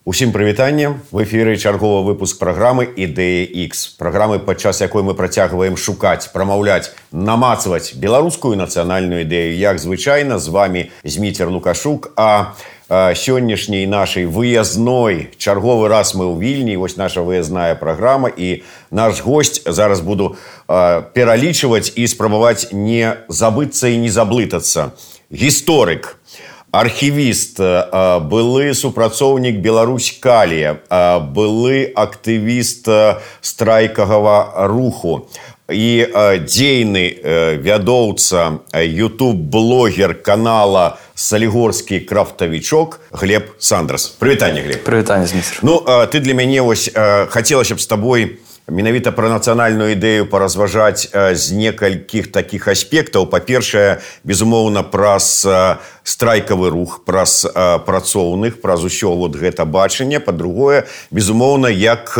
Усім прывітанне. В эфіры чарговы выпуск праграмы «Ідэя X». Праграмы, падчас якой мы працягваем шукаць, прамаўляць, намацваць беларускую нацыянальную ідэю. Як звычайна, з вами Зміцер Лукашук. А сённяшняй нашай выязной чарговы раз мы ў Вільні. Вось наша выязная праграма. І наш госць, зараз буду пералічваць і спрабаваць не забыцца і не заблытацца. Гісторык. Архівіст, былы супрацоўнік Беларусь-Калія, былы актывіст страйкавага руху і дзейны вядоўца ютуб-блогер канала «Салігорскі крафтавічок» Глеб Сандрас. Прывітанне, Глеб. Прывітанне, Зміцер. Ну, ты для мяне вось хацелася б з табой менавіта пра нацыянальную ідэю паразважаць з некалькіх такіх аспектаў. Па-першае, безумоўна, праз страйкавы рух, праз працоўных, праз усё вот гэта бачанне. Па-другое, безумоўна, як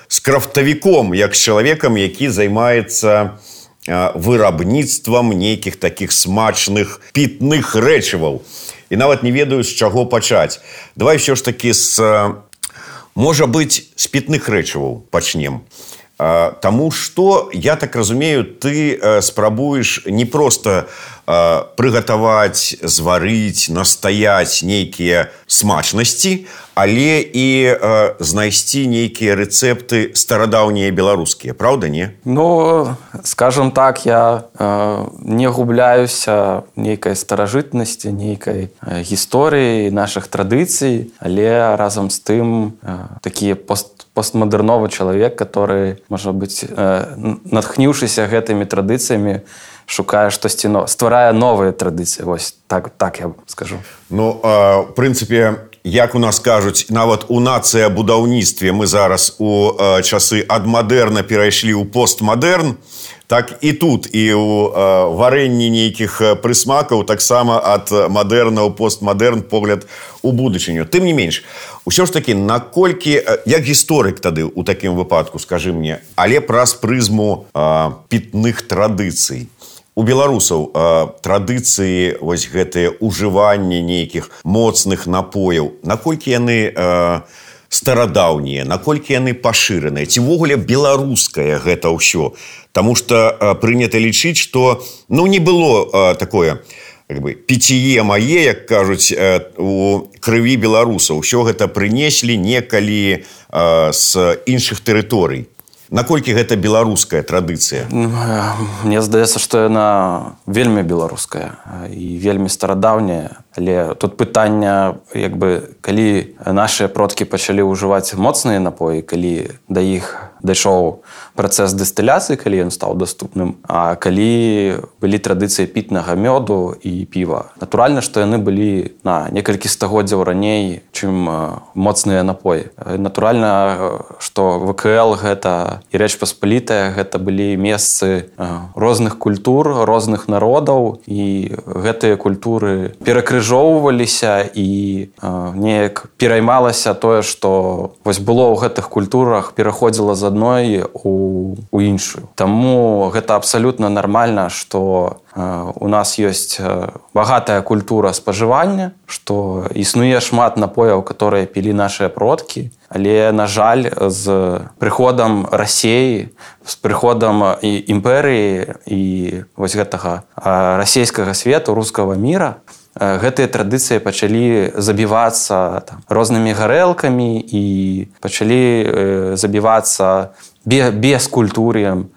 з крафтавіком, як з чалавекам, які займаецца вырабніцтвам нейкіх такіх смачных пітных рэчываў. І нават не ведаю, з чаго пачаць. Давай ўсё ж такі можа быць, з пітных рэчываў пачнем. Таму што, я так разумею, ты спрабуеш не проста прыгатаваць, зварыць, настаяць нейкія смачнасці, але і знайсці нейкія рэцэпты старадаўнія беларускія. Праўда, не? Ну, скажем так, я не губляюся нейкай старажытнасці, нейкай гісторыі нашых традыцый, але разам з тым такі постмадэрновы чалавек, который, можа быць, натхніўшыся гэтымі традыцыямі, шукае штосьці новае, стварае новыя традыцыі. Вось так я скажу. Ну, в прынцыпе, як у нас кажуць, нават у нацыябудаўніцтве мы зараз у часы ад мадэрна перайшлі ў постмадэрн, так і тут, і ў варэнні нейкіх прысмакаў таксама ад мадэрна ў постмадэрн погляд у будучыню. Тым не менш, усё ж такі, наколькі, як гісторык тады ў такім выпадку, скажы мне, але праз прызму пітных традыцый. У беларусаў традыцыі, вось гэтыя ўжыванне нейкіх моцных напояў, наколькі яны старадаўнія, наколькі яны пашыраныя, ці ўвогуле беларускае гэта ўсё. Таму што прынята лічыць, што не было такое піціе мае, як кажуць, у крыві беларусаў. Усё гэта прынеслі некалі з іншых тэрыторый. Наколькі гэта беларуская традыцыя? Мне здаецца, што яна вельмі беларуская і вельмі старадаўняя. Але тут пытанне, калі нашыя продкі пачалі ўжываць моцныя напоі, калі да іх дайшоў працэс дыстыляцыі, калі ён стаў даступным, а калі былі традыцыі пітнага мёду і піва. Натуральна, што яны былі на некалькі стагоддзяў раней, чым моцныя напоі. Натуральна, што ВКЛ гэта і Рэч Паспалітая, гэта былі месцы розных культур, розных народаў, і гэтыя культуры перакрыжоўваліся і неяк пераймалася тое, што вось было ў гэтых культурах, пераходзіла з адной у іншую. Таму гэта абсалютна нармальна, што у нас ёсць багатая культура спажывання, што існуе шмат напояў, которые пілі нашыя продкі, але, на жаль, з прыходам Расіі, з прыходам імперыі і вось гэтага расійскага свету, рускага міра, гэтыя традыцыі пачалі забівацца рознымі гарэлкамі і пачалі забівацца бескультур'ем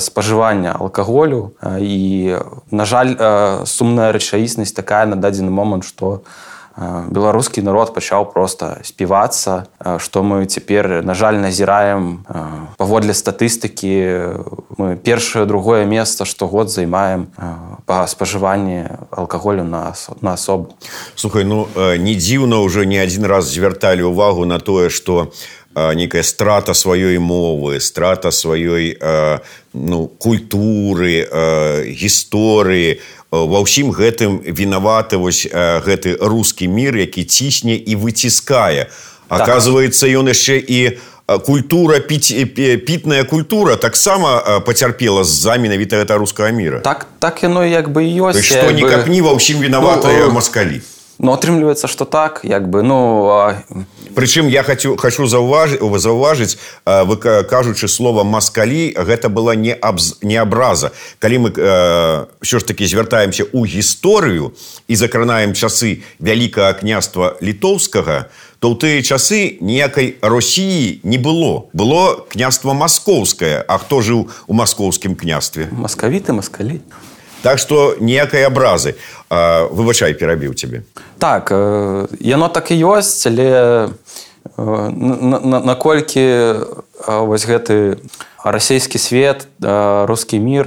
спажывання алкаголю. І, на жаль, сумная рэчаіснасць такая на дадзены момант, што беларускі народ пачаў проста співацца, што мы цяпер, на жаль, назіраем паводле статыстыкі. Мы першае, другое месца штогод займаем па спажыванні алкаголю на асобу. Слухай, не дзіўна, ўжо не адзін раз звярталі ўвагу на тое, што нейкая страта сваёй мовы, страта сваёй культуры, гісторыі. Ва ўсім гэтым вінаваты вось гэты рускі мір, які цісне і выціскае. Аказваецца, ён яшчэ і культура, пітная культура таксама пацярпела з-за менавіта гэта рускага міра. Так яно як бы і ёсць. Што никак не ва ўсім вінаватыя маскалі. Ну, атрымліваецца, што так, як бы, Прычым я хочу заўважыць, вы кажучы слова «маскалі», гэта была не абраза. Калі мы ўсё ж такі звяртаемся ў гісторыю і закранаем часы Вялікага княства Літоўскага, то ў тыя часы ніякай Росіі не было. Было княства Маскоўскае. А хто жыў у маскоўскім княстве? Маскавіты, маскалі. Так што ніякай абразы. Выбачай, перабіў цябе. Так, яно так і ёсць, але наколькі вось гэты расійскі свет, рускі мір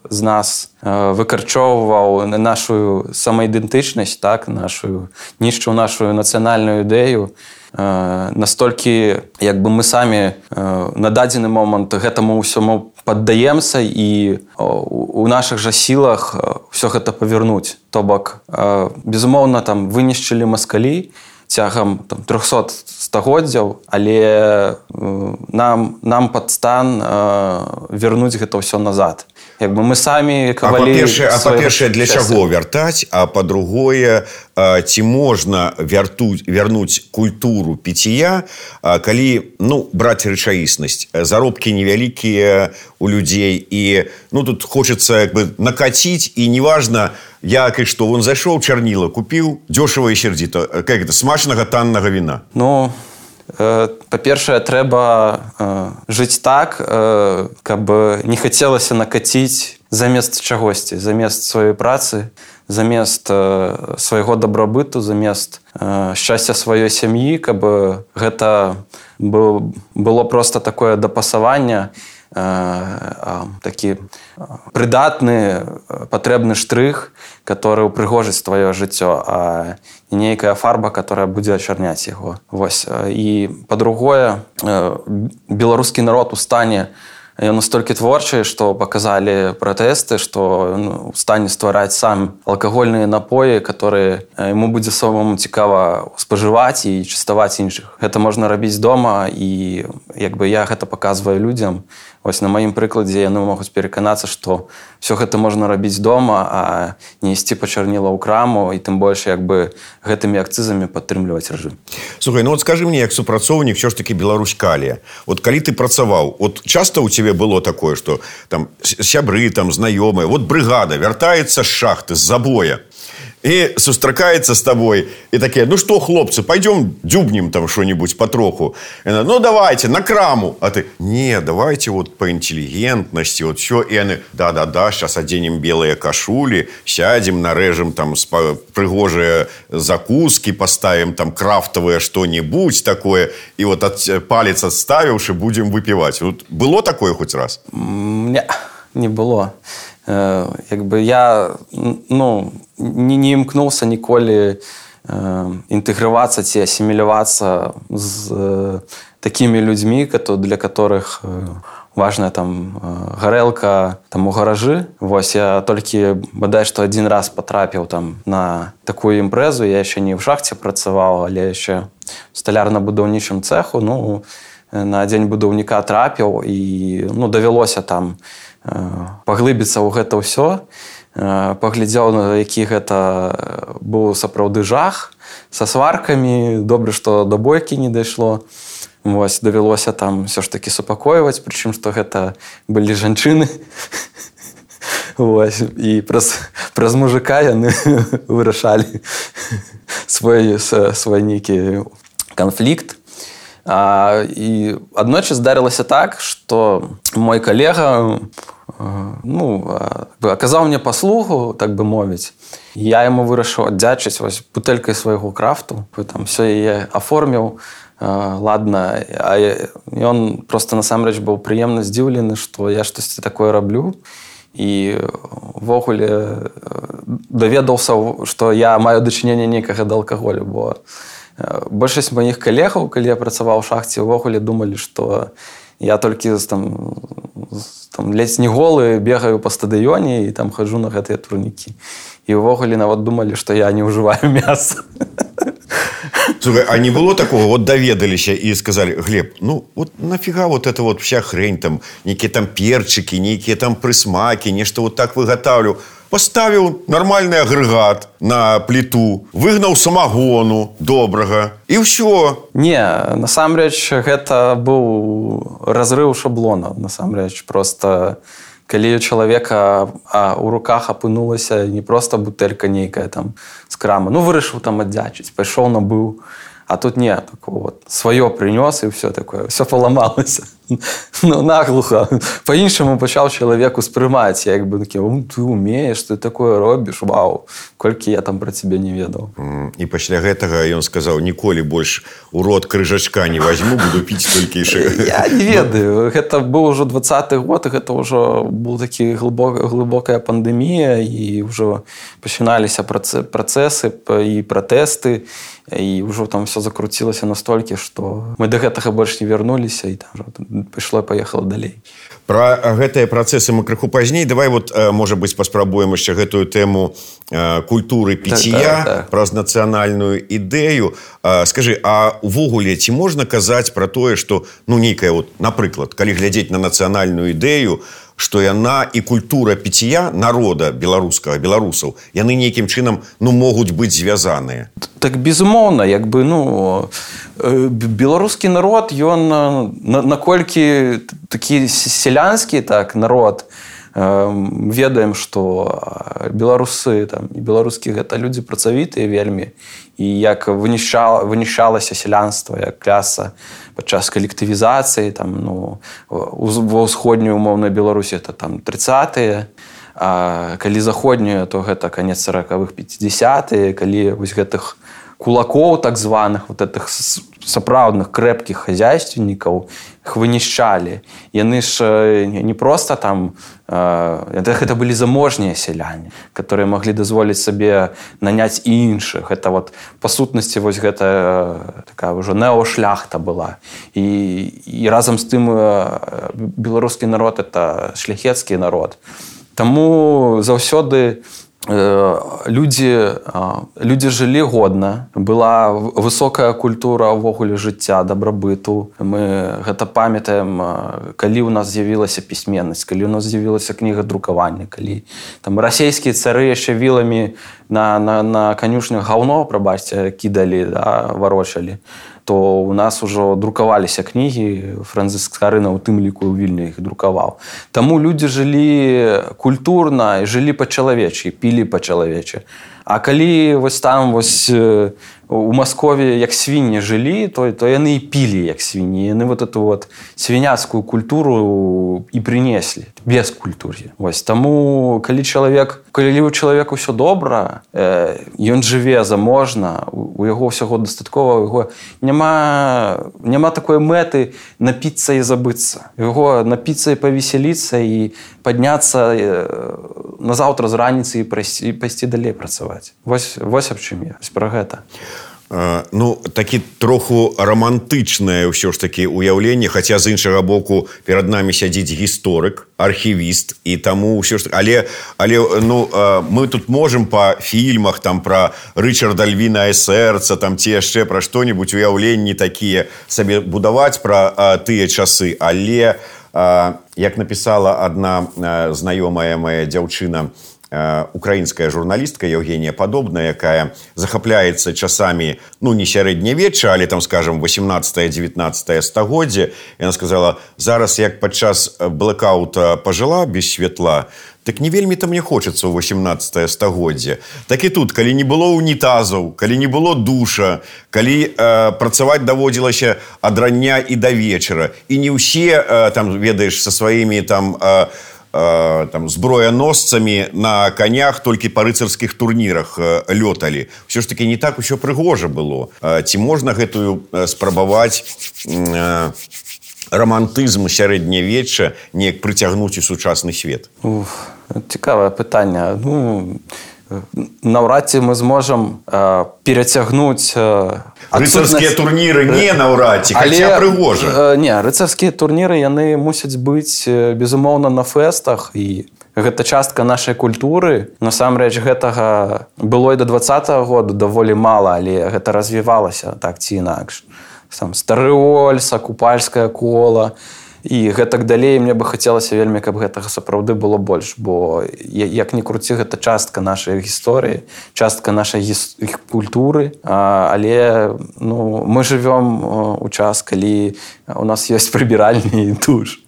з нас выкарчоўваў нашу самаідэнтычнасць, так, нішчыў нашу нацыянальную ідэю, настолькі, як бы мы самі на дадзены момант гэтаму ўсяму паддаемся і у нашых жа сілах ўсё гэта павярнуць. То бок, безумоўна, там вынішчылі маскалі цягам 300 стагоддзяў, але нам пад стан вярнуць гэта ўсё назад. Як бы мы самі кавалі... Па-першае, для чаго вяртаць, а па-другое, ці можна вярнуць культуру піція, калі, браць рэчаіснасць, заробкі невялікія у людзей, і, тут хочацца, як бы, накаціць, і неважна, як і што, он зайшоў, чарніла купіў, дзёшава і сердзіта, как это, смачнага таннага віна. Па-першае, трэба жыць так, каб не хацелася накаціць замест чагосьці, замест сваёй працы, замест свайго дабрабыту, замест шчасця сваёй сям'і, каб гэта было проста такое дапасаванне, такі прыдатны, патрэбны штрых, который упрыгожыць твоё жыццё, а не нейкая фарба, которая будзе ачарняць яго. Вось. І па-другое, беларускі народ у стане ён настолькі творчы, што паказалі пратэсты, што у стане ствараць сам алкагольныя напоі, которые яму будзе самому цікава спажываць і частаваць іншых. Гэта можна рабіць дома, і як бы я гэта паказваю людзям. Вось на маім прыкладзе яны могуць пераканацца, што ўсё гэта можна рабіць дома, а не ісці па чарніла ў краму, і тым больш як бы гэтымі акцызамі падтрымліваць рэжым. Слухай, скажы мне, як супрацоўнік ўсё ж такі Беларусь-Калія. Калі ты працаваў, часта ў цябе было такое, што там сябры, там знаёмыя, брыгада вяртаецца з шахты, з забоя, и сустракаецца з табой, и такие, что, хлопцы, пойдем дзюбнем там что-нибудь потроху. Давайте, на краму. А ты, не, давайте по интеллигентности, все. И они, да, сейчас оденем белые кашули, сядем, нарежем там пригожие закуски, поставим там крафтовое что-нибудь такое, и палец отставивши, будем выпивать. Было такое хоть раз? Не было. Як бы я не імкнуўся ніколі інтэгравацца ці асімілявацца з такімі людзьмі, для которых важная там гарэлка там у гаражы. Вось я толькі бадай што адзін раз патрапіў там на такую імпрэзу. Я яшчэ не ў шахце працаваў, але яшчэ в сталярна-будаўнічым цэху. На дзень будаўніка трапіў і давялося там паглыбіцца ў гэта ўсё, паглядзеў, на які гэта быў сапраўды жах, са сваркамі, добра, што да бойкі не дайшло. Вось, давялося там ўсё ж такі супакойваць, прычым, што гэта былі жанчыны. Вось, і праз мужика яны вырашалі свой нейкі канфлікт. І аднойчы здарылася так, што мой калега аказаў мне паслугу, так бы мовіць. Я яму вырашыў аддзячыць бутэлькай свайго крафту. Там все яе аформіў, ладна. А ён проста насамрэч быў прыемна здзіўлены, што я штосьці такое раблю. І ўвогуле даведаўся, што я маю дачыненне нейкага да алкаголю, бо большасць маіх калегаў, калі я працаваў у шахце, увогуле думалі, што я толькі ледзь не голы бегаю па стадыёне і там хаджу на гэтыя турнікі. І ўвогуле нават думалі, што я не ўжываю мяса. Слушай, а не было такого, вот доведаліся и сказали: Глеб, ну вот нафига вот эта вот вся хрень там, некие там перчики, некие там присмаки, нечто вот так выготавлю. Поставил нормальный агрегат на плиту, выгнал самогону добрага, и все. Не, насамрэч, гэта быў разрыў шаблона, насамрэч. Просто калі у чалавека у руках апынулася не просто бутэлька нейкая там з крамы, ну вырашыў там аддзячыць, пайшоў набыў, а тут не, такое вот сваё прынёс і все такое, все паламалася. Ну, наглухо. По-іншаму пачаў чалавек успрымаць. Я як бы такі: ты умееш, ты такое робіш, вау, колькі я там пра цябе не ведаў. І пасля гэтага ён сказаў: ніколі больш у рот крыжачка не возьму, буду піць толькі яшчэ. Я не ведаю. Гэта быў ужо 20-й год, гэта ўжо быў такі глыбокая пандэмія, і ўжо пачыналіся працэсы і пратэсты, і ўжо там все закруцілася настолькі, што мы да гэтага больш не вярнуліся, і там пайшло і паехала далей. Пра гэтыя працэсы мы крыху пазней. Давай вот, можа быць, паспрабуем яшчэ гэтую тэму культуры піцця, праз нацыянальную ідэю. Скажы, а увогуле ці можна казаць пра тое, што, ну, нейкая вот, напрыклад, калі глядзець на нацыянальную ідэю, што яна і культура піцця народа беларускага, беларусаў, яны нейкім чынам, ну, могуць быць звязаныя? Так, безумоўна, як бы, ну, беларускі народ, ён наколькі такі сялянскі, так, народ, ведаем, што беларусы там, і беларускі гэта людзі працавітыя вельмі, і як вынішчалася сялянства як кляса падчас калектывізацыі там, ну, ва ўсходняй умоўнай Беларусі это там 30-е, а калі заходнюю, то гэта канец 40-х, 50-е, калі вось гэтых кулакоў так званых, вот этих сапраўдных крэпкіх хазяйственнікаў их вынішчалі. Яны ж не просто там, гэта былі заможныя сяляне, которые маглі дазволіць сабе наняць іншых. Это вот па сутнасці вось гэта такая ўжо неошляхта была. І разам з тым беларускі народ это шляхецкі народ. Таму заўсёды людзі жылі годна, была высокая культура ўвогуле жыцця, дабрабыту. Мы гэта памятаем, калі ў нас з'явілася пісьменнасць, калі ў нас з'явілася кніга друкавання, калі там расійскія цары яшчэ віламі на канюшнях гаўно, прабачце, кідалі, да, варочалі, то у нас ужо друкаваліся кнігі, Францыск Скарына у тым ліку ў Вільні іх друкаваў. Таму людзі жылі культурна і жылі па-чалавечы, пілі па-чалавечы. А калі вось там вось у Маскове як свінні жылі, то яны і пілі як свінні. Яны вот эту вот свіняцкую культуру і прынеслі без культуры. Вось таму калі у чалавека ўсё добра, ён жыве заможна, у яго ўсяго дастаткова, у яго няма такой мэты напіцца і забыцца. Яго напіцца і павесяліцца і падняцца назаўтра з раніцы і пайсці далей працаваць. Вось аб чым я, пра гэта. Ну, такі троху рамантычнае ўсё ж такі ўяўленне, хаця з іншага боку перад намі сядзіць гісторык, архівіст, і таму ўсё ж такі, але ну, мы тут можам па фільмах там пра Рычарда Львінае сэрца там ці яшчэ пра што-небудзь уяўленні такія сабе будаваць пра тыя часы, але як напісала адна знаёмая моя дзяўчына, украінская журналістка Евгения Падобная, якая захапляецца часамі, ну, не сярэднявечча, але там, скажем, 18-19 стагоддзе. Яна сказала: зараз, як падчас блэкаута пажыла без святла, так не вельмі там мне хочацца ў 18 стагоддзе. Так і тут, калі не было унітазаў, калі не было душа, калі працаваць даводзілася ад рання і да вечара, і не ўсе, там, ведаеш, са сваімі там зброяносцамі на канях толькі па рыцарскіх турнірах лёталі. Усё ж такі не так усё прыгожа было. Ці можна гэтую спрабаваць рамантызм сярэднявечча неяк прыцягнуць у сучасны свет? Цікавае пытанне. Ну, наўрад ці мы зможам перацягнуць рыцарскія турніры, не наўрад ці, хаця прыгожа. Не, рыцарскія турніры, яны мусяць быць, безумоўна, на фэстах, і гэта частка нашай культуры. Насамрэч гэтага было і да 20-го года даволі мала, але гэта развівалася так ці інакш. Там Старыольса, Купальскае кола і гэтак далей. Мне бы хацелася вельмі, каб гэтага сапраўды было больш, бо як ні круці, гэта частка нашай гісторыі, частка нашай культуры, але мы жывём у час, калі у нас ёсць прыбіральні і душ.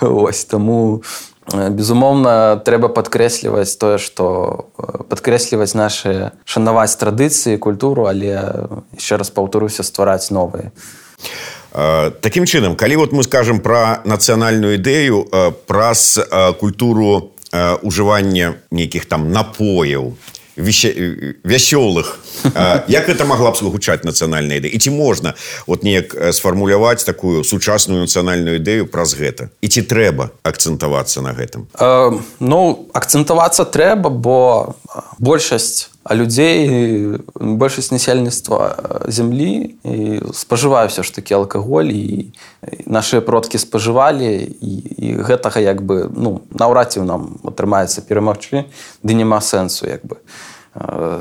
Ось, таму безумоўна, трэба падкрэсліваць тое, што падкрэсліваць нашы, шанаваць традыцыі, культуру, але яшчэ раз паўтаруся, ствараць новыя. Такім чынам, калі мы скажам пра нацыянальную ідэю, праз культуру ўжывання нейкіх там напояў, вясёлых, як гэта магла б гучаць нацыянальная ідэя? І ці можна неяк сфармуляваць такую сучасную нацыянальную ідэю праз гэта? І ці трэба акцэнтавацца на гэтым? Акцэнтавацца трэба, бо большасць людзей, большасць насельніцтва зямлі спажывае ўсё ж такі алкаголь, і нашыя продкі спажывалі, і гэтага наўрад ці нам атрымаецца перамагчы, ды няма сэнсу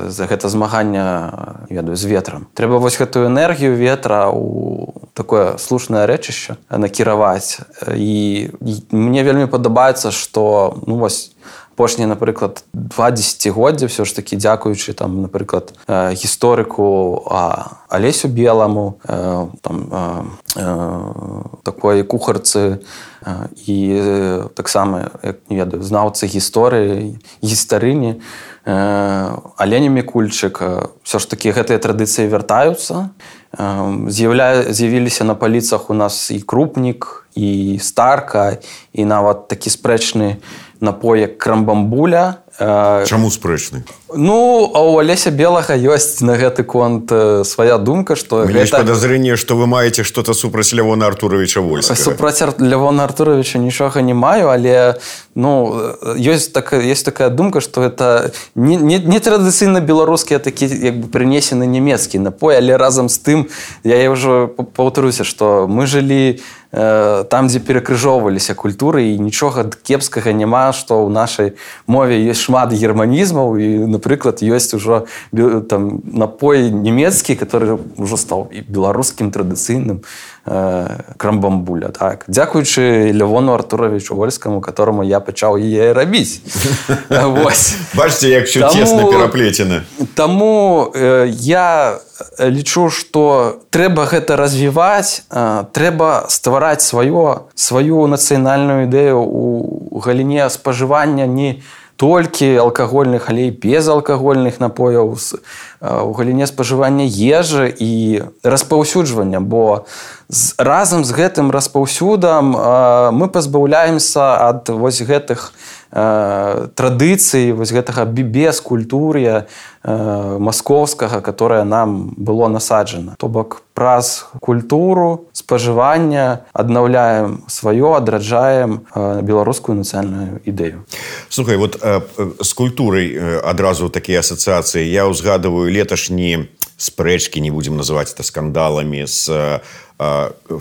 за гэта змагання з ветрам. Трэба гэтую энергію ветра ў такое слушнае рэчышча накіраваць. І мне вельмі падабаецца, што апошнія, напрыклад, 2 дзесяцігоддзя ўсё ж такі, дзякуючы, напрыклад, гісторыку Алесю Беламу, такой кухарцы і таксама, як не ведаю, знаўцы гісторыі, гістарыні, Алені Мікульчык, ўсё ж такі гэтыя традыцыі вяртаюцца. З'явіліся на паліцах у нас і Крупнік, і Старка, і нават такі спрэчны напой, як крамбамбуля. Чаму спрэчны? А у Алеся Белага ёсць на гэты конт свая думка, што гэта... Есть подозрение, што вы маеце што-то супраць Лявона Артуровича Вольскага. Супраць Лявона Артуровича нічога не маю, але ёсць такая думка, што гэта не традыцыйна беларускія такі прынесены нямецкі напой, але разам з тым я ўжо паўтаруся, што мы жылі там, дзе перакрыжоўваліся культуры, і нічога кепскага няма, што ў нашай мове ёсць шмат германізмаў, і, напрыклад, ёсць ужо напой нямецкі, который ўжо стаў і беларускім традыцыйным, крамбамбуля. Дзякуючы Лявону Артуровичу Вольскаму, которому я пачаў яе рабіць. Бачыце, як ўсё цесна пераплецена. Таму я лічу, што трэба гэта развіваць, трэба ствараць сваю нацыянальную ідэю ў галіне спажывання не толькі алкагольных, але і безалкагольных напояў, у галіне спажывання ежы і распаўсюджвання, бо разам з гэтым распаўсюдам мы пазбаўляемся ад гэтых традыцый, гэтага бескультур'я маскоўскага, которое нам было насаджана. То бок праз культуру спажывання аднаўляем сваё, адраджаем беларускую нацыянальную ідэю. Слухай, з культурай адразу такія асацыяцыі. Я ўзгадываю леташні спрэчкі, не будзем называць это скандаламі, з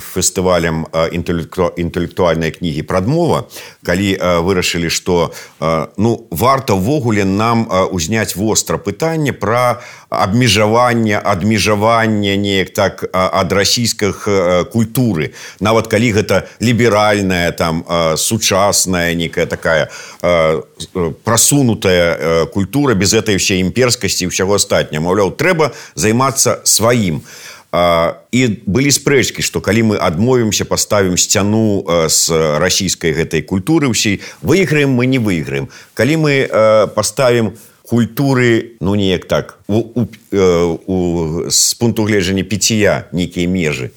фестывалем інтэлектуальнай кнігі «Прадмова», калі вырашылі, што варта ўвогуле нам узняць востра пытанне пра адмежаванне неяк так ад расійскіх культуры. Нават калі гэта ліберальная, сучасная, некая такая прасунутая культура без этой ўсей імперскасці і ўсяго астатняга. Маўляў, трэба займацца сваім. І былі спрэчкі, што калі мы адмовімся, паставім сцяну з расійскай гэтай культуры ўсей, выйграем мы, не выйграем. Калі мы паставім культуры, неяк так, з пункту гледжання піція нейкія межы,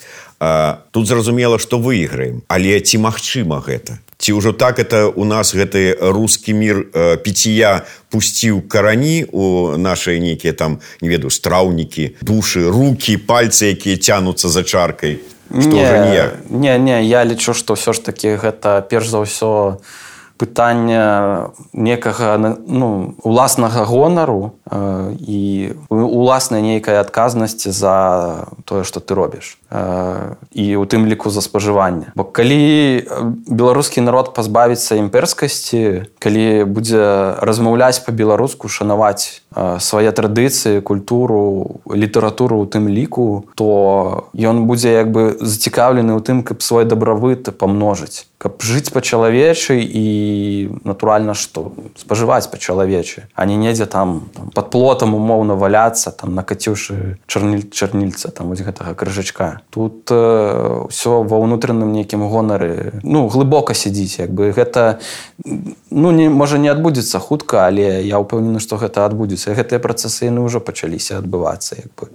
тут зразумела, што выйграем. Але ці магчыма гэта? Ці ўжо так это у нас гэты рускі мір піція пусціў карані у нашыя нейкія не ведаю, страўнікі, душы, рукі, пальцы, якія цянуцца за чаркай? Што ўжо ніяк? Не, я лічу, што ўсё ж такі гэта перш за ўсё пытання некага уласнага гонару і уласнай нейкай адказнасці за тое, што ты робіш. І у тым ліку за спажыванне. Бо калі беларускі народ пазбавіцца імперскасці, калі будзе размаўляць па-беларуску, шанаваць свае традыцыі, культуру, літаратуру ў тым ліку, то ён будзе як бы зацікаўлены ў тым, каб свой дабравыт памножыць. Каб жыць па-чалавечы і, натуральна, што? Спажываць па-чалавечы, а не недзе там пад плотам умоўна валяцца, там накаціўшы чарнільца, там вось гэтага крыжачка. Тут ўсё ва ўнутраным нейкім гонары, глыбока сядзіць, як бы гэта, можа не адбудзецца хутка, але я ўпэўнены, што гэта адбудзецца. Гэтыя працэсы яны ўжо пачаліся адбывацца, як бы.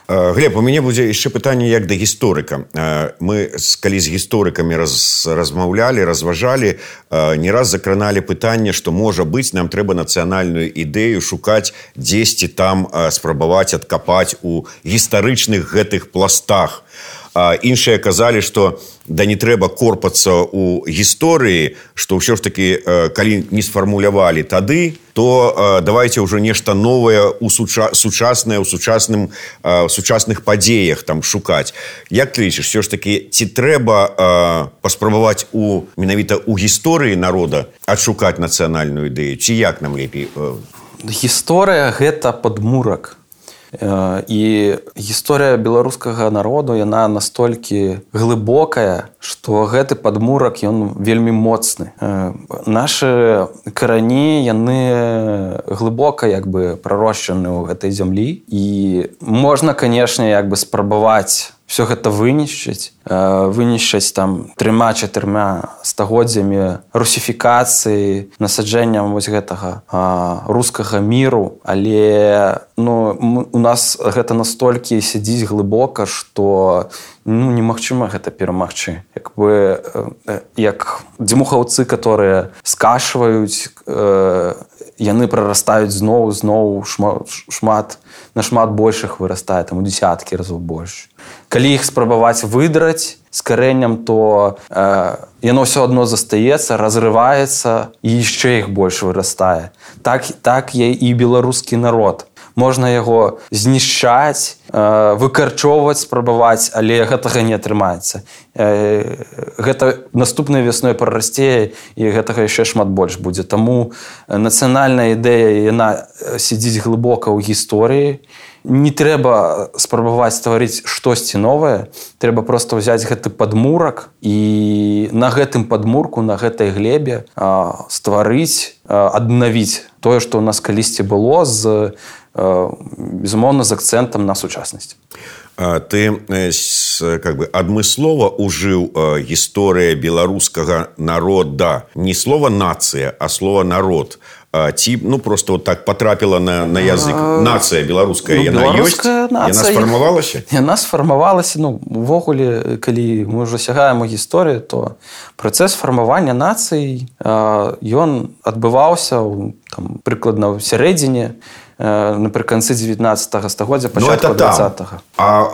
Глеб, у мяне будзе яшчэ пытанне як да гісторыка. Мы, калі з гісторыкамі размаўлялі, разважалі, не раз закраналі пытанне, што, можа быць, нам трэба нацыянальную ідэю шукаць дзесьці там, спрабаваць адкапаць у гістарычных гэтых пластах. Іншыя казалі, што не трэба корпацца ў гісторыі, што ўсё ж такі, калі не сфармулявалі тады, то давайте ўжо нешта новае ў сучаснае, ў сучасных падзеях там шукаць. Як ты лічыш, ўсё ж такі, ці трэба паспрабаваць менавіта ў гісторыі народа адшукаць нацыянальную ідэю, ці як нам лепей? Гісторыя – гэта падмурак. І гісторыя беларускага народу, яна настолькі глыбокая, што гэты падмурак, ён вельмі моцны. Нашы карані, яны глыбока як бы прарошчаны ў гэтай зямлі. І можна, канешне, як бы спрабаваць все гэта вынішчыць там 3-4 стагоддзямі русіфікацыі, насаджэнням вось гэтага рускага міру, але у нас гэта настолькі сядзіць глыбока, што немагчыма гэта перамагчы. Як дзьмухаўцы, которые скашваюць, яны прарастаюць зноў нашмат большых вырастае, там у дзесяткі разоў больш. Калі іх спрабаваць выдраць з карэннем, то яно ўсё адно застаецца, разрываецца і яшчэ іх больш вырастае. Так і беларускі народ. Можна яго знішчаць, выкарчоўваць, спрабаваць, але гэтага не атрымаецца. Гэта наступнай вясной прарасце, і гэтага яшчэ шмат больш будзе. Таму нацыянальная ідэя, яна сядзіць глыбока ў гісторыі. Не трэба спрабаваць стварыць штосьці новае, трэба проста ўзяць гэты падмурак і на гэтым падмурку, на гэтай глебе стварыць, аднавіць тое, што ў нас калісьці было, безумоўна, з акцэнтам на сучаснасць. Ты адмыслова ўжыў гісторыя беларускага народа. Не слова «нацыя», а слова «народ». Ці, просто вот так потрапіла на язык. Нацыя беларуская, яна ёсць? Яна сфармавалася? Яна сфармавалася. Увогуле, калі мы ўжо сягаем у гісторыю, то працэс фармавання нацый, ён адбываўся прыкладна ў сярэдзіне, напрыканцы 19 стагоддзя, пачатку 20-го. А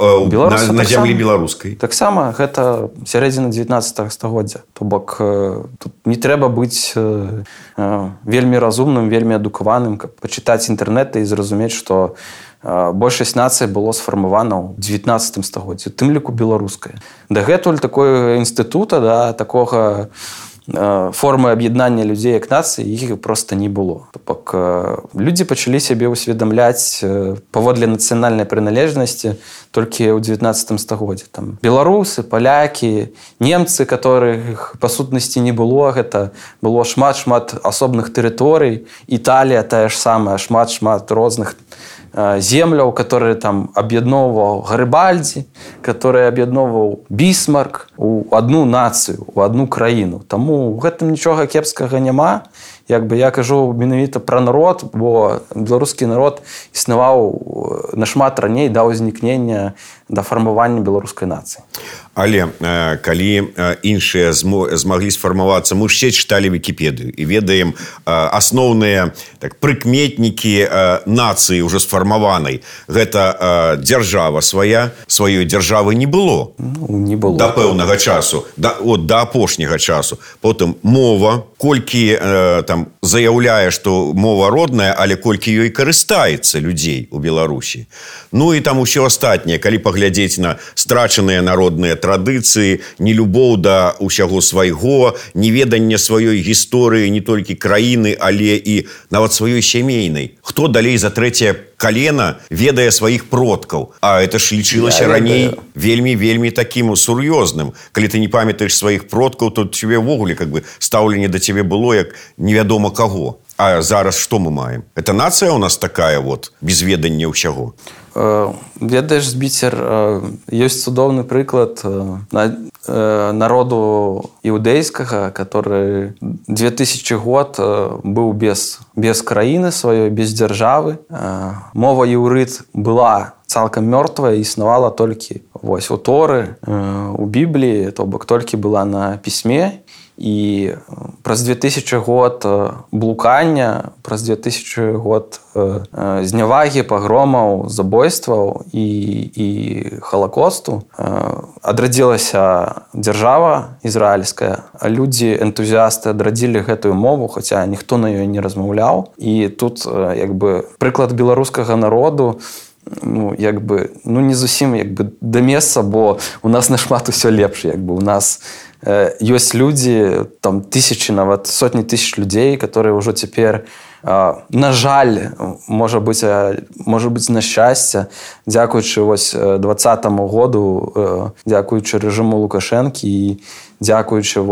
на зямлі беларускай? Таксама гэта сярэдзіна 19 стагоддзя. То бок тут не трэба быць вельмі разумным, вельмі адукаваным, каб пачытаць інтэрнэт і зразумець, што большасць нацый было сфармавана ў 19 стагоддзі, тым ліку беларуская. Дагэтуль такой інстытута, такога формы аб'яднання людзей як нацыі, іх проста не было. Бок людзі пачалі сябе ўсведамляць паводле нацыянальнай прыналежнасці толькі ў 19 стагоддзі. Беларусы, палякі, немцы, которых па сутнасці не было, гэта было шмат-шмат асобных тэрыторый. Італія тая ж самая, шмат-шмат розных земляў, которые там аб'ядноўваў Гарыбальдзі, которые аб'ядноўваў Бісмарк у адну нацыю, у адну краіну. Таму ў гэтым нічога кепскага няма. Я кажу менавіта пра народ, бо беларускі народ існаваў нашмат раней да ўзнікнення, да фармавання беларускай нацыі. Але калі іншыя змаглі сфармавацца, мы ж все чыталі Вікіпедыю і ведаем асноўныя прыкметнікі нацыі ўжо сфармаванай. Гэта дзяржава свая, сваёй дзяржавы не было. Не было. Да пэўнага часу, да апошняга часу. Потым мова, колькі там заяўляе, што мова родная, але колькі ёй карыстаецца людзей у Беларусі. Ну і там усё астатняе, калі паглядзець на страчаныя народныя традыцыі, нелюбоў да ўсяго свайго, неведанне сваёй гісторыі не толькі краіны, але і нават сваёй сямейнай. Хто далей за трэцяе калена ведае сваіх продкаў? А это ж лічылася раней вельмі такім сур'ёзным. Калі ты не памятаеш сваіх продкаў, то тебе ўвогуле стаўленне да цябе было як невядома каго. А зараз што мы маем? Это нацыя ў нас такая без ведання ўсяго. Ведаеш, Збіцер, ёсць цудоўны прыклад народу іўдэйскага, который 2000 год быў без краіны сваёй, без дзяржавы. Мова іўрыт была цалкам мёртвая, існавала толькі у Торы, у Бібліі, то бок толькі была на пісьме. І праз 2000 год блукання, праз 2000 год знявагі, пагромаў, забойстваў і халакосту адрадзілася дзяржава ізраільская. Людзі, энтузіасты адрадзілі гэтую мову, хаця ніхто на ёй не размаўляў. І тут прыклад беларускага народу не зусім да месца, бо у нас нашмат усё лепш. У нас ёсць людзі, там тысячи, нават сотні тысяч людзей, которые ўжо цяпер, на жаль, можа быць на шчасце, дзякуючы 2020 году, дзякуючы рэжыму Лукашэнкі і дзякуючы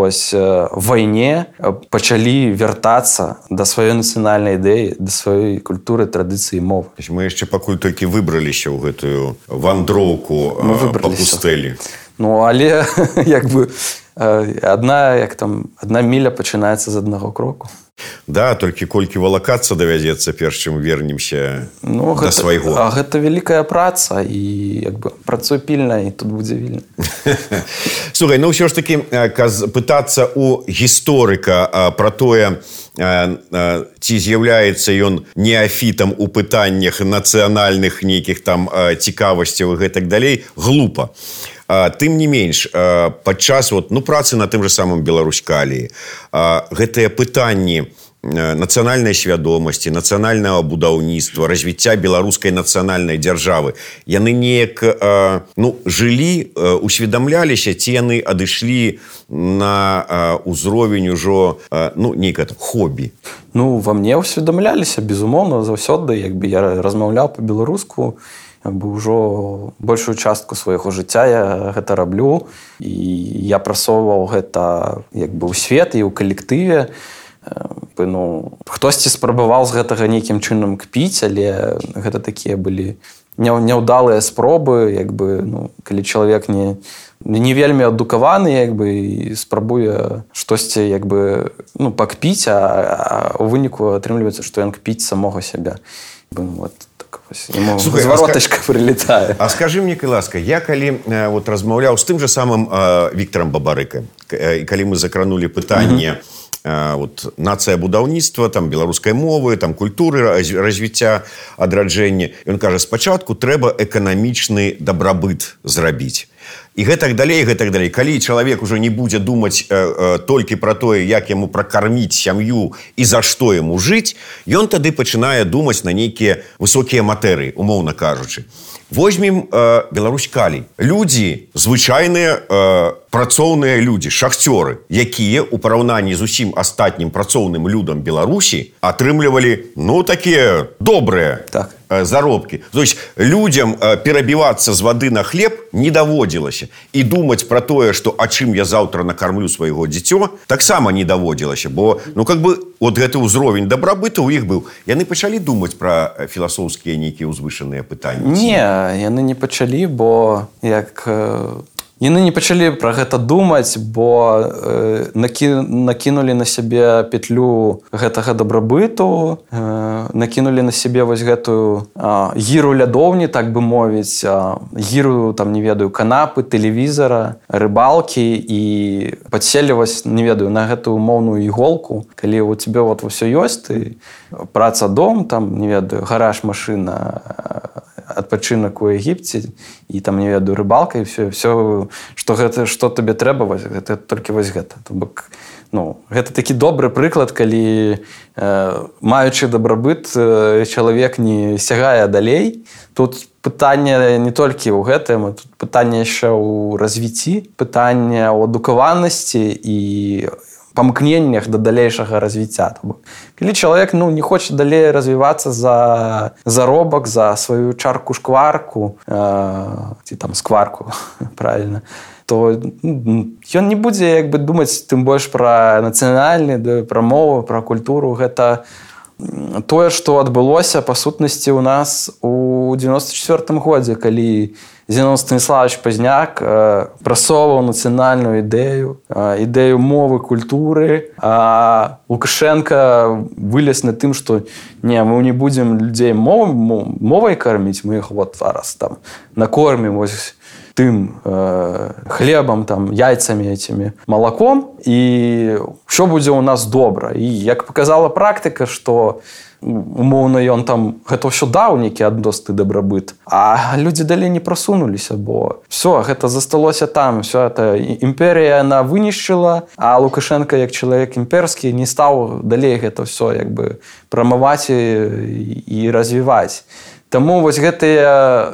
вайне, пачалі вяртацца да сваёй нацыянальнай ідэі, да сваёй культуры, традыцыі, мовы. Мы яшчэ пакуль толькі выбраліся ў гэтую вандроўку па пустэлі. Але одна міля пачынаецца з аднаго кроку. Да, толькі колькі валакацца давядзецца, перш чым вернемся да свайго. Гэта вялікая праца, і працуй пільна, і тут будзе вільна. Слухай, ўсё ж такі пытацца ў гісторыка пра тое, ці з'яўляецца ён неафітам у пытаннях нацыянальных нейкіх там цікавасцяў і гэтак далей, глупа. Тым не менш, падчас працы на тым жа самым Беларуськаліі гэтыя пытанні нацыянальнай свядомасці, нацыянальнага будаўніцтва, развіцця беларускай нацыянальнай дзяржавы, яны неяк жылі, усведамляліся, ці яны адышлі на ўзровень ужо нейкае хобі? Ва мне ўсведамляліся, безумоўна, заўсёды. Я размаўляў па-беларуску, ўжо большую частку свайго жыцця я гэта раблю, і я прасоўваў гэта ў свет і ў калектыве. Хтосьці спрабаваў з гэтага нейкім чынам кпіць, але гэта такія былі няўдалыя спробы, калі чалавек не вельмі адукаваны, і спрабуе штосьці пакпіць, а ў выніку атрымліваецца, што ён кпіць самога сябе. Зваротачка прилетае. А скажы мне, ласка, я калі размаўляў з тым жа самым Віктарам Бабарыкам, і калі мы закранулі пытанне нацыя будаўніцтва, там беларускай мовы, там культуры, развіцця, адраджэння, ён кажа, спачатку трэба эканамічны дабрабыт зрабіць. І гэтак далей. Калі чалавек ужо не будзе думаць толькі пра тое, як яму пракарміць сям'ю і за што яму жыць, ён тады пачынае думаць на нейкія высокія матэрыі, умоўна кажучы. Возьмем Беларуськалій. Людзі, звычайныя працоўныя людзі, шахцёры, якія ў параўнанні з усім астатнім працоўным людам Беларусі атрымлівалі, такія добрыя заробкі. То есть людзям перабівацца з вады на хлеб не даводзілася. І думаць пра тое, што а чым я заўтра накармлю свайго дзіцё, таксама не даводзілася. Бо, гэты ўзровень дабрабыту ў іх быў. Яны пачалі думаць пра філасофскія нейкія ўзвышаныя пытанні? Не, яны не пачалі, бо як яны не пачалі пра гэта думаць, бо накінулі на сябе петлю гэтага дабрабыту, накінулі на сябе вось гэтую гіру лядоўні, так бы мовіць, гіру, там, не ведаю, канапы, тэлевізара, рыбалкі, і падселі вось, не ведаю, на гэтую умоўную іголку, калі у цябе вот ўсё ёсць, ты праца, дом, там, не ведаю, гараж, машына, адпачынак у Егіпце, і там, не ведаю, рыбалка, і все, што табе трэба, вось, гэта толькі вось гэта. То бок, гэта такі добры прыклад, калі маючы дабрабыт, чалавек не сягае далей. Тут пытанне не толькі ў гэтым, тут пытанне яшчэ ў развіцці, пытанне ў адукаванасці і памкненнях да далейшага развіцця. Калі чалавек не хоча далей развівацца за заробак, за сваю чарку-шкварку, ці там скварку, правільна, то ён не будзе думаць тым больш пра нацыянальны, пра мову, пра культуру. Гэта тое, што адбылося, па сутнасці, у нас у 94-м годзе, калі Зенон Станіславович Пазняк прасоўваў нацыянальную ідэю мовы, культуры, а Лукашенко вылез на тым, што мы не будзем людзей мовай карміць, мы іх вот зараз там накормім вось тым хлебам, там, яйцамі этими, малаком, і ўсё будзе ў нас добра. І як паказала практыка, што умоўна ён там гэта ўсё даў нейкі адносны дабрабыт, а людзі далей не прасунуліся, бо все, гэта засталося там, все это імперія яна вынішчыла, а Лукашенко як чалавек імперскі не стаў далей гэта все прамаваць і развіваць. Таму вось гэтыя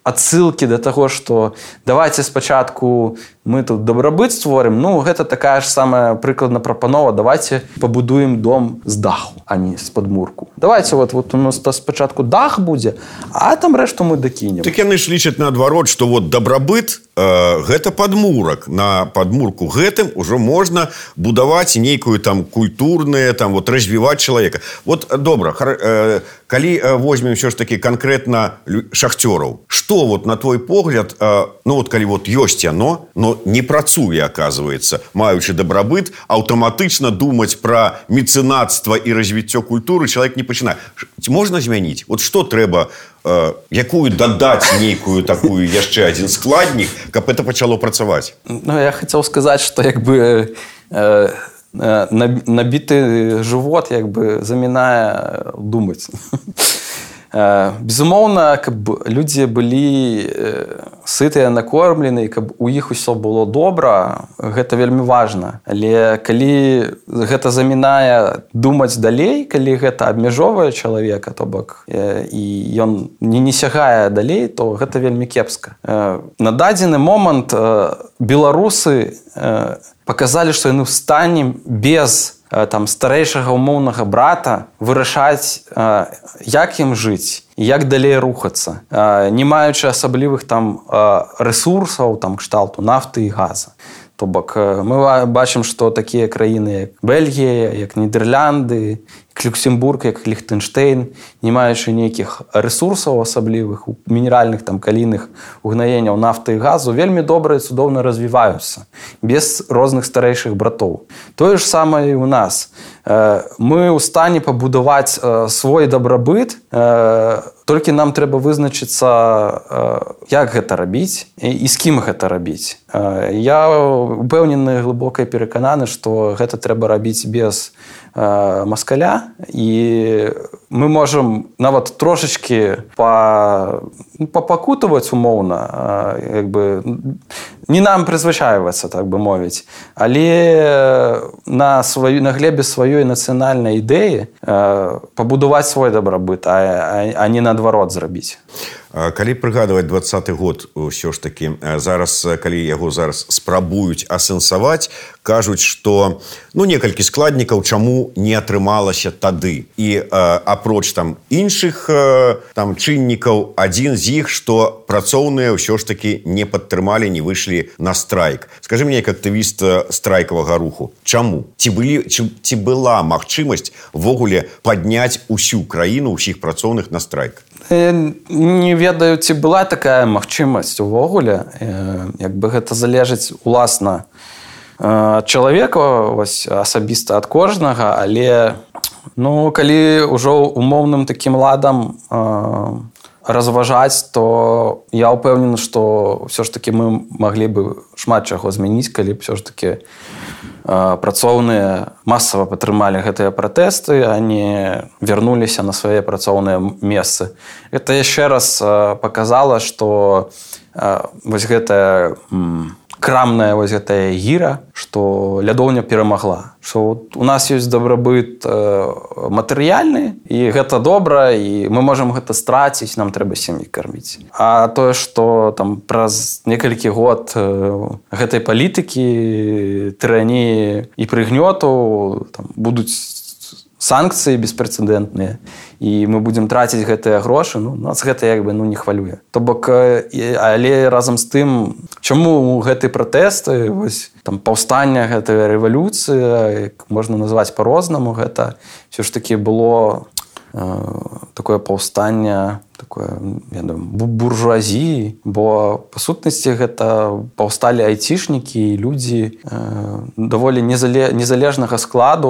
адсылкі да таго, што давайте спачатку мы тут дабрабыт створым, гэта такая ж самая прыкладна прапанова, давайте пабудуем дом з даху, а не з падмурку. Давайте вот у нас спачатку дах будзе, а там рэшту мы дакінем. Так яны ж лічаць наадварот, што вот дабрабыт гэта падмурак. На падмурку гэтым ужо можна будаваць нейкую там культурную, там вот развіваць чалавека. Вот добра, калі возьмем ўсё ж такі канкрэтна шахцёраў, што вот на твой погляд, калі вот ёсць яно, но не працуе, оказывается, маючы дабрабыт, аўтаматычна думаць пра мецэнацтва і развіццё культуры чалавек не пачынае. Можна змяніць? Вот што трэба, якую дадаць нейкую такую яшчэ адзін складнік, каб это пачало працаваць? Я хацеў сказаць, што набіты жывот замінае думаць. Безумоўна, каб людзі былі сытыя, накормлены, каб у іх усё было добра, гэта вельмі важна. Але калі гэта замінае думаць далей, калі гэта абмяжоўвае чалавека, то бок, і ён не сягае далей, то гэта вельмі кепска. На дадзены момант беларусы паказалі, што яны ў стане без старэйшага умоўнага брата вырашаць, як ім жыць і як далей рухацца, не маючы асаблівых там рэсурсаў, там кшталту нафты і газа. То бок мы бачым, што такія краіны, як Бельгія, як Нідерлянды, як Люксембург, як Ліхтэнштэйн, не маючы нейкіх рэсурсаў асаблівых, мінеральных, там, калійных угнаенняў нафты і газу, вельмі добра і цудоўна развіваюцца, без розных старэйшых братоў. Тое ж самае і ў нас. Мы ў стане пабудаваць свой дабрабыт, толькі нам трэба вызначыцца, як гэта рабіць і з кім гэта рабіць. Я упэўнены, глыбока перакананы, што гэта трэба рабіць без маскаля, і мы можам нават трошачкі папакутаваць умоўна, не нам прызвычайвацца, так бы мовіць, але на глебе сваёй нацыянальнай ідэі пабудаваць свой дабрабыт, а не наадварот зрабіць. Калі прыгадваць 20-й год, ўсё ж такі, зараз, калі яго зараз спрабуюць асэнсаваць, кажуць, што некалькі складнікаў, чаму не атрымалася тады. І апроч там іншых там чыннікаў, адзін з іх, што працоўныя ўсё ж такі не падтрымалі, не выйшлі на страйк. Скажы мне, як актывіст страйкавага руху, чаму? Ці была магчымасць ввогуле падняць усю краіну, усіх працоўных на страйк? Не ведаю, ці была такая магчымасць увогуле. Як бы гэта залежыць уласна ад чалавека, асабіста ад кожнага, але калі ўжо умоўным такім ладам разважаць, то я ўпэўнены, што ўсё ж такі мы маглі бы шмат чаго змяніць, калі б ўсё ж такі працоўныя масава падтрымалі гэтыя пратэсты, а не вярнуліся на свае працоўныя месцы. Гэта яшчэ раз паказала, што гэтая крамная гэтая гіра, што лядоўня перамагла. Што у нас ёсць дабрабыт матэрыяльны, і гэта добра, і мы можам гэта страціць, нам трэба сям'і карміць. А тое, што там праз некалькі год гэтай палітыкі, тыраніі і прыгнёту будуць санкцыі беспрэцэдэнтныя, і мы будзем траціць гэтыя грошы, нас гэта не хвалюе. То бок, але разам з тым, чаму гэты пратэсты, паўстання, гэтая рэвалюцыя, можна назваць па-рознаму, гэта ўсё ж такі было такое паўстанне, такое, я думаю, буржуазіі, бо па сутнасці гэта паўсталі айцішнікі і людзі даволі незалежнага складу,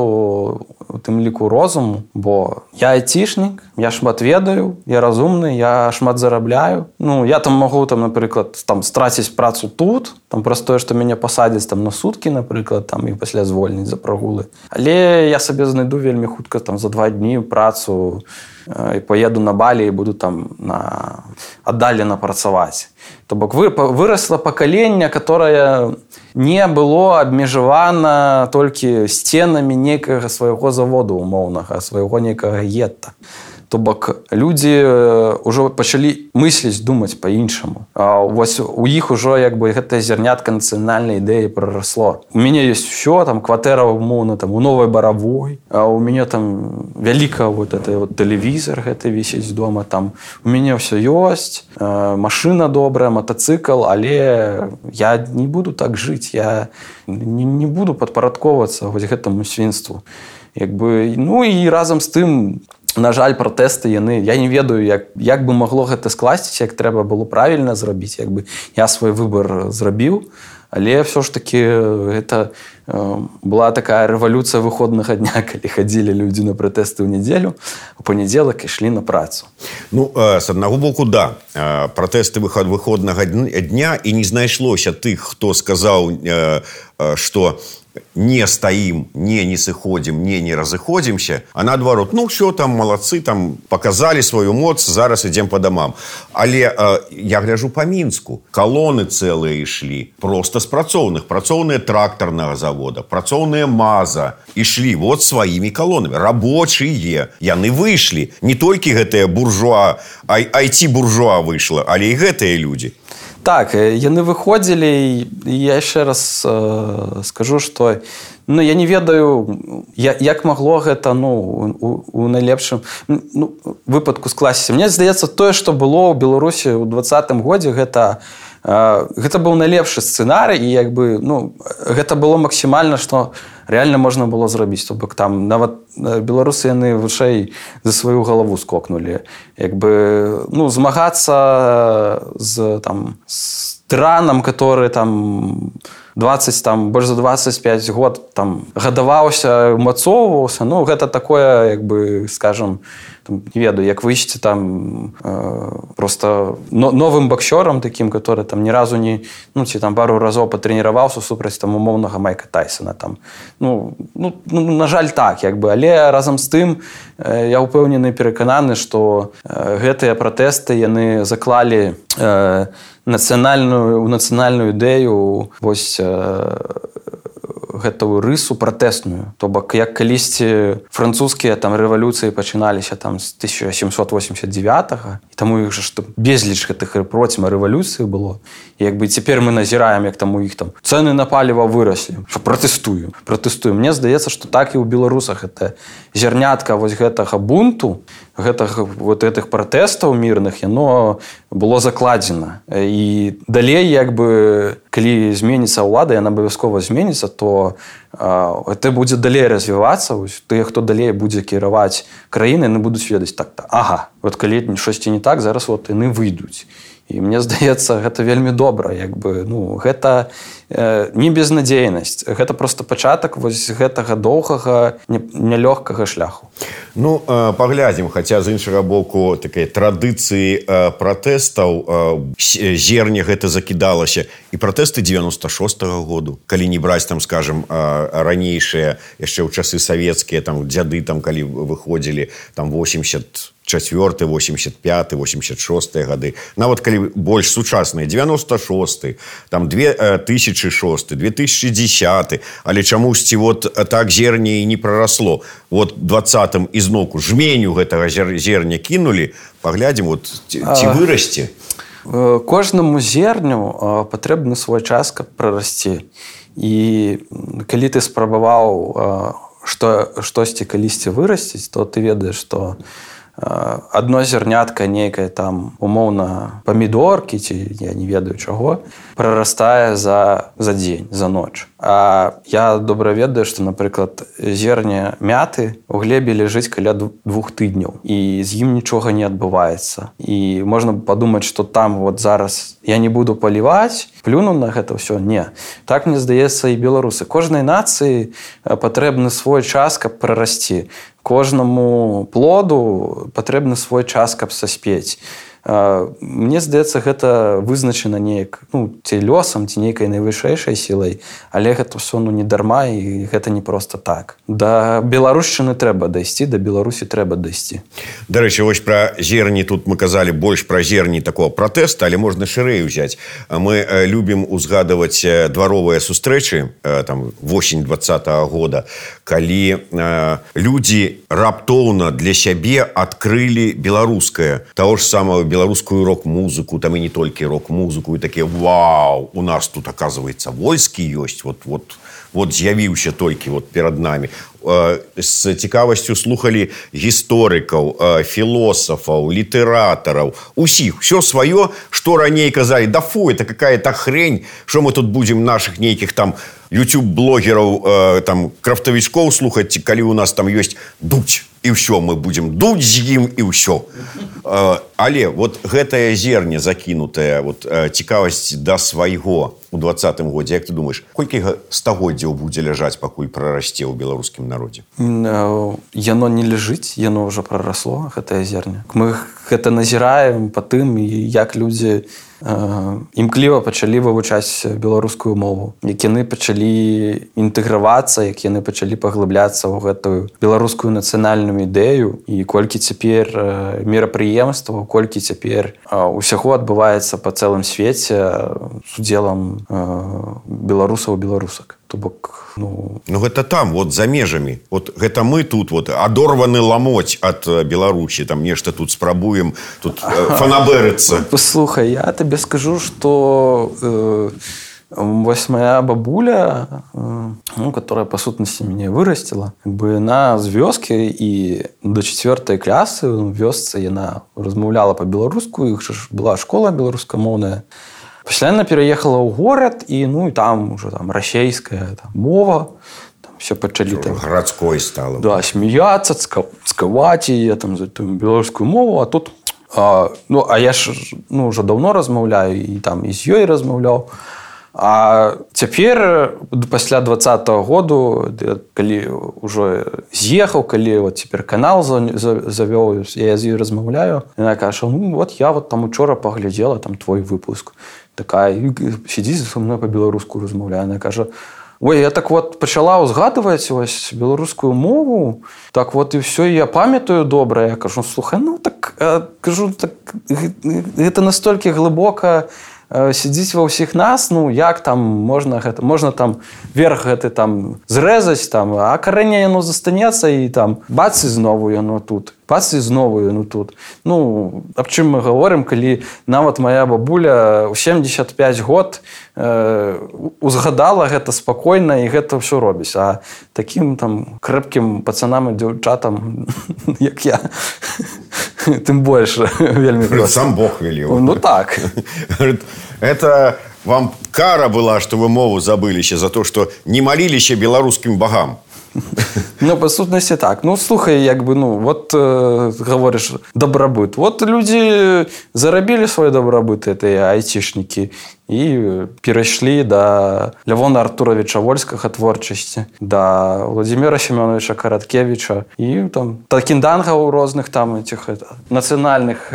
у тым ліку розуму, бо я айцішнік, я шмат ведаю, я разумны, я шмат зарабляю. Я там магу, напрыклад, страціць працу тут, праз тое, што мяне пасадзяць на суткі, напрыклад, і пасля звольніць за прагулы. Але я сабе знайду вельмі хутка за 2 дні працу і поеду на Балі і буду аддалена працаваць. То бок вырасла пакаленне, которое не было абмежавана толькі сценамі нейкага свайго заводу умоўнага, свайго нейкага гетта. То бок людзі ўжо пачалі мысліць, думаць па-іншаму. У іх ужо гэтая зярнятка нацыянальнай ідэі прарасло. У мяне ёсць усё, кватэра умоўна у Новай Баравой, а у мяне вяліка тэлевізор гэты вісіць дома, у мяне ўсё ёсць, машына добрая, матацыкл, але я не буду так жыць, я не буду падпарадковацца гэтаму свінству. І разам з тым, на жаль, пратэсты, я не ведаю, як бы магло гэта скласціся, як трэба было правільна зрабіць, я свой выбар зрабіў, але ўсё ж такі гэта была такая рэвалюцыя выходнага дня, калі хадзілі людзі на пратэсты ў нядзелю, у панядзелак ішлі на працу. З аднаго боку, да, пратэсты выходнага дня, і не знайшлося тых, хто сказаў, што не стаім, не сыходзім, не разыходзімся, а наадварот, ўсё, малацы, паказалі сваю моц, зараз ідзем па дамам. Але я гляджу па Мінску, калоны цэлыя ішлі, проста з працоўныя трактарнага завода, працоўныя МАЗа, ішлі сваімі калонамі, рабочыя, яны выйшлі, не толькі гэтыя буржуа, айці-буржуа выйшла, але і гэтыя людзі. Так, яны выходзілі, і я яшчэ раз скажу, што я не ведаю, як магло гэта у найлепшым выпадку скласціся. Мне здаецца, тое, што было ў Беларусі ў 2020 годзе, гэта быў найлепшы сцэнарый, і гэта было максімальна, што рэальна можна было зрабіць. То бок нават беларусы яны вышэй за сваю галаву скокнулі. Змагацца з тыранам, который больш за 25 год гадаваўся, умацоўваўся, гэта такое, скажем, не ведаю, як выйсці просто новым боксёрам таким, который ні разу не, ці пару разоў патрэніраваўся супраць умоўнага Майка Тайсона. На жаль, так, але разам з тым я ўпэўнены, перакананы, што гэтыя пратэсты яны заклалі нацыянальную ідэю, гэтую рысу пратэсную. То бок, як калісьці французскія рэвалюцыі пачыналіся з 1789-го, і таму іх безліч гэтых процьма рэвалюцыі было. І цяпер мы назіраем, як у іх цэны на паліва выраслі. Пратэстуем. Мне здаецца, што так і ў беларусах гэта зярнятка гэтага бунту, гэтых пратэстаў мірных, яно было закладзена. І далей, як бы, калі зменіцца ўлада, яна абавязкова зменіцца, то это будзе далей развівацца. Тыя, хто далей будзе кіраваць краіны, яны будуць ведаць так-то. Ага, вот калі штосьці не так, зараз вот яны выйдуць. І мне здаецца, гэта вельмі добра. Як бы, ну, гэта не безнадзейнасць. Гэта просто пачатак вось гэтага доўгага, нялёгкага шляху. Ну, паглядзім, хаця з іншага боку такай традыцыі пратэстаў зерне гэта закідалася. І пратэсты 96-го году, калі не браць, там, скажем, ранейшыя, яшчэ ў часы савецкія, там, дзяды, там, калі выходзілі, там, 84, 85, 86 гады. Нават калі больш сучасныя, 96, там 2006, 2010, але чамусьці вот так зерне і не прарасло. Вот 20-м ізноку жменю гэтага зерня кінулі, паглядзім, вот, ці вырасце. Кожнаму зерню патрэбны свой час, каб прарасці. І калі ты спрабаваў штосьці калісьці вырасціць, то ты ведаеш, што адно зернятка нейкае там умоўна памідоркі ці я не ведаю чаго прарастае за дзень, за ноч. А я добра ведаю, што, напрыклад, зерне мяты ў глебе ляжыць каля 2 тыдняў і з ім нічога не адбываецца. І можна падумаць, што там вот зараз я не буду паліваць, плюну на гэта ўсё. Не. Так, мне здаецца, і беларусы. Кожнай нацыі патрэбны свой час, каб прарасці. Кожнаму плоду патрэбны свой час, каб саспець. Мне здаецца, гэта вызначана неяк, ну, ці лёсам, ці нейкай найвышэйшай сілай, але гэта ўсё, ну, не дарма, і гэта не проста так. Да беларушчыны трэба дайсці, да Беларусі трэба дайсці. Дарэчы, вось пра зерні, тут мы казалі больш пра зерні такого пратэста, але можна шырэй узяць. Мы любім узгадаваць дваровыя сустрэчы, там, восень 20-го года, калі людзі раптоўна для сябе адкрылі беларускае, таго ж самого беларускую рок-музыку, там і не толькі рок-музыку, і такія, вау, у нас тут, оказывается, войскі ёсць, вот з'явіўся толькі вот перад намі. З цікавасцю слухалі гісторыкаў, філосафаў, літаратараў, усіх, все сваё, што раней казалі, да фу, это какая-то хрень, што мы тут будзем наших нейкіх там YouTube-блогераў, там, крафтавічкоў слухаць, калі у нас там ёсць дуть, і ўсё, мы будзем дуть з ім, і ўсё. Але вот гэтае зерне закінутае, вот, цікавасць да свайго у 20-м годзе, як ты думаеш, колькі стагоддзяў будзе ляжаць, пакуль прарасце ў беларускім народзе? Яно не ляжыць, яно ўжо прарасло, гэтае зерне. Мы гэта назіраем па тым, як людзі імкліва пачалі вывучаць беларускую мову, як яны пачалі інтэгравацца, як яны пачалі паглыбляцца ў гэтую беларускую нацыянальную ідэю, і колькі цяпер мерапрыемстваў, колькі цяпер усяго адбываецца па цэлым свеце з удзелам беларусаў і беларусак. То бок, ну, гэта там, вот за межамі. Вот гэта мы тут вот адорваны ламоць ад Беларусі, там нешта тут спрабуем, тут фанабэрыцца. Послухай, я табе скажу, што вось моя бабуля, ну, которая по сутнасці мяне вырасціла, яна з вёскі, і до 4-й класы ў вёсцы яна размаўляла па-беларуску, іх ж была школа беларускамоўная. Пасля яна пераехала ў горад, і, ну, і там уже там расейская там, мова, там все пачалі там гарадской стала. Да, смяяцца, цкаваць яе там за тую беларускую мову, а тут ну, а я ж, ну, уже давно размаўляю, і там і з ёй размаўляў. А цяпер, пасля 20-го году, калі ўжо з'ехаў, калі вот цяпер канал завёў, я з ёй размаўляю, яна кажа, ну, вот я вот там учора паглядзела там твой выпуск. Такая, сидзіць са мной па-беларуску размаўляе. Яна кажа, ой, я так вот пачала ўзгадваць вось беларускую мову, так вот і ўсё, я памятаю добра. Я кажу, слухай, ну так, кажу, так, гэта настолькі глыбока сидзіць ва ўсіх нас, ну як там можна гэта, можна там верх гэты там зрэзаць, там, а карэнне яно застанецца, і там бац і знову яно тут. Бац і знову яно тут. Ну, аб чым мы гаворым, калі нават моя бабуля ў 75 год узгадала гэта спакойна і гэта ўсё робіць. А такім там крэпкім пацанам і дзяўчатам, як я, тым больш вельмі проста. Сам Бог велел. Ну так. Это вам кара была, что вы мову забыліся за то, что не молиліся беларускім богам. Ну, по сутнасці так. Ну, слухай, як бы, ну, вот говориш, добробыт. Вот люди зарабілі свой добробыт, это айтишники, і перайшлі да Лявона Артуровича Вольскага творчасці, да Владимира Семеновича Караткевича і там такіндангаў розных там этих нацыянальных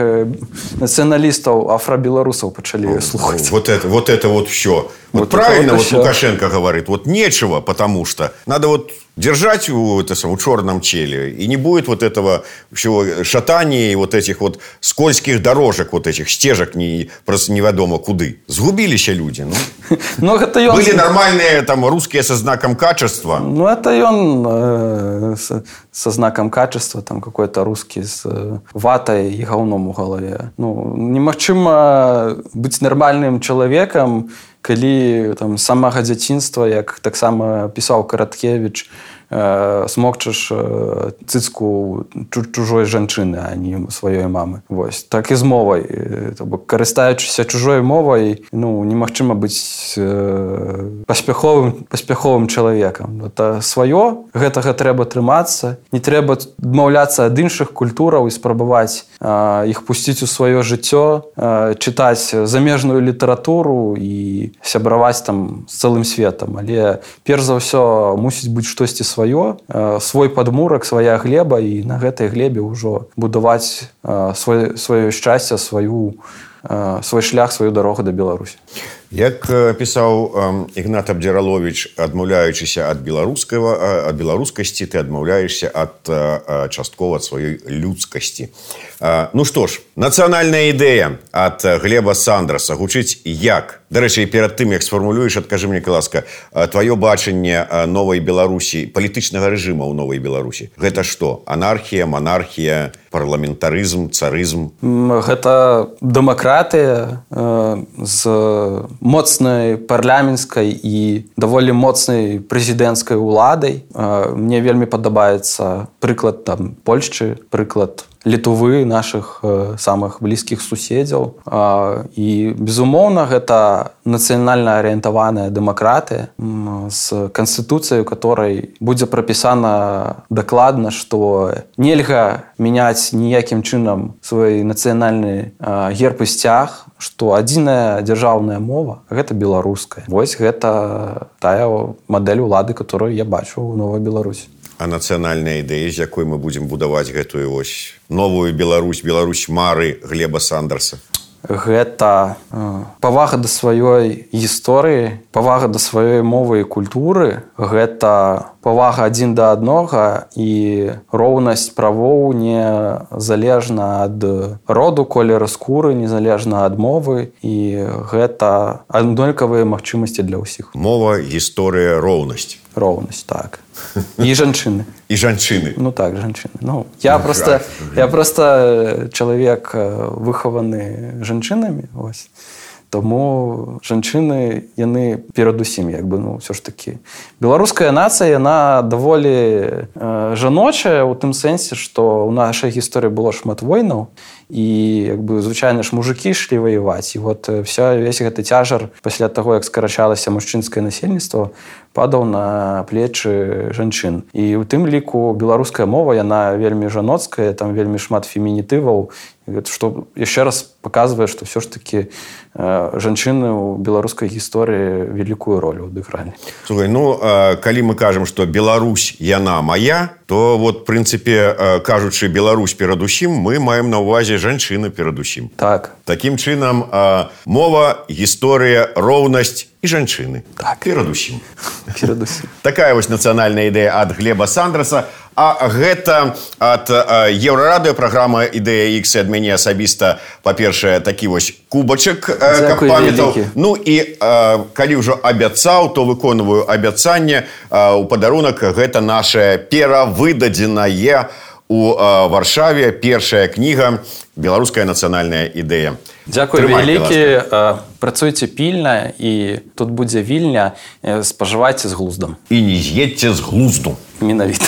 нацыяналістаў, афрабеларусаў пачалі слухаць. Вот это вот все. Вот правильно вот Лукашенко говорит, вот нечего, потому что надо вот держать у черном челе, и не будет вот этого всего шатания и вот этих вот скользких дорожек, вот этих стежек просто неведомо куды. Сгубились люди. Ну, были нормальные там русские со знаком качества. Ну, это и он со знаком качества, там какой-то русский с ватой и говном у голове. Ну, немагчыма быць нормальным человеком, калі там самага дзяцінства, як таксама пісаў Караткевич, смокчаш цыцку чужой жанчыны, а не сваёй мамы. Вось. Так і з мовай. Карыстаючыся чужой мовай, ну, немагчыма быць паспяховым чалавекам. Это сваё, гэтага трэба трымацца, не трэба адмаўляцца ад іншых культураў і спрабаваць іх пусціць у сваё жыццё, чытаць замежную літаратуру і сябраваць там з цэлым светам. Але перш за ўсё мусіць быць штосьці сваё, свой падмурак, свая глеба, і на гэтай глебе ўжо будаваць сваё шчасце, свой шлях, сваю дарогу да Беларусі. Як пісаў Ігнат Абдзіраловіч, адмаўляючыся ад беларускасці, ты адмаўляешся часткова ад сваёй людскасці. Ну што ж, нацыянальная ідэя ад Глеба Сандраса гучыць як? Дарэчы, перад тым, як сфармулюеш, адкажы мне, ласка, тваё бачанне новай Беларусі, палітычнага рэжыма ў новай Беларусі. Гэта што? Анархія, манархія, парламентарызм, царызм? Гэта дэмакратыя з моцнай парламенцкай і даволі моцнай прэзідэнцкай уладай. Мне вельмі падабаецца прыклад там Польшчы, прыклад Літвы, нашых самых блізкіх суседзяў. І, безумоўна, гэта нацыянальна арыентаваная дэмакратыя з канстытуцыяй, у которой будзе прапісана дакладна, што нельга мяняць ніякім чынам свой нацыянальны герб і сцяг, што адзіная дзяржаўная мова – гэта беларуская. Вось гэта тая мадэль улады, которую я бачу ў Новай Беларусі. А нацыянальная ідэя, з якой мы будзем будаваць гэтую ось новую Беларусь, Беларусь мары Глеба Сандраса? Гэта павага да сваёй гісторыі, павага да сваёй мовы і культуры, гэта павага адзін да аднога і роўнасць правоў незалежна ад роду, колеру скуры, незалежна ад мовы, і гэта аднолькавыя магчымасці для ўсіх. Мова, гісторыя, роўнасць. Роўнасць, так. І жанчыны. І жанчыны. Ну так, жанчыны. Ну, я просто чалавек выхаваны жанчынамі, ось. Тому жанчыны, яны перадусім, як бы, ну, ўсё ж такі. Беларуская нацыя, яна даволі жаночая ў тым сэнсе, што ў нашай гісторыі было шмат войнаў, і, як бы, звычайна ж мужыкі ішлі ваяваць. І вот весь гэты цяжар пасля таго, як скарачалася мужчынскае насельніцтва, падаў на плечы жанчын. І ў тым ліку беларуская мова, яна вельмі жаноцкая, там вельмі шмат фемінітываў, што яшчэ раз паказвае, што ўсё ж такі жанчыны ў беларускай гісторыі вялікую ролю адыгралі. Слухай, ну, калі мы кажам, што Беларусь, яна мая, то вот, в прынцыпе, кажучы Беларусь перадусім, мы маем на ўвазе жанчыны перадусім. Так. Такім чынам, мова, гісторыя, роўнасць і жанчыны. Так. Перадусім. Перадусім. Такая вось нацыянальная ідэя ад Глеба Сандраса. А гэта ад Еўрарадыё праграма «Ідэя Х» ад мяне асабіста, па-першае, такі вось кубачак, каб памятаў. Ну і калі ўжо абяцаў, то выконваю абяцанне. У падарунак гэта наша перавыдадзеная у Варшаве першая кніга «Беларуская нацыянальная ідэя». Дзякуй вялікі. Працуйце пільна, і тут будзе вільня. Спажывайце з глуздам. І не з'едьце з глузду. Менавіта.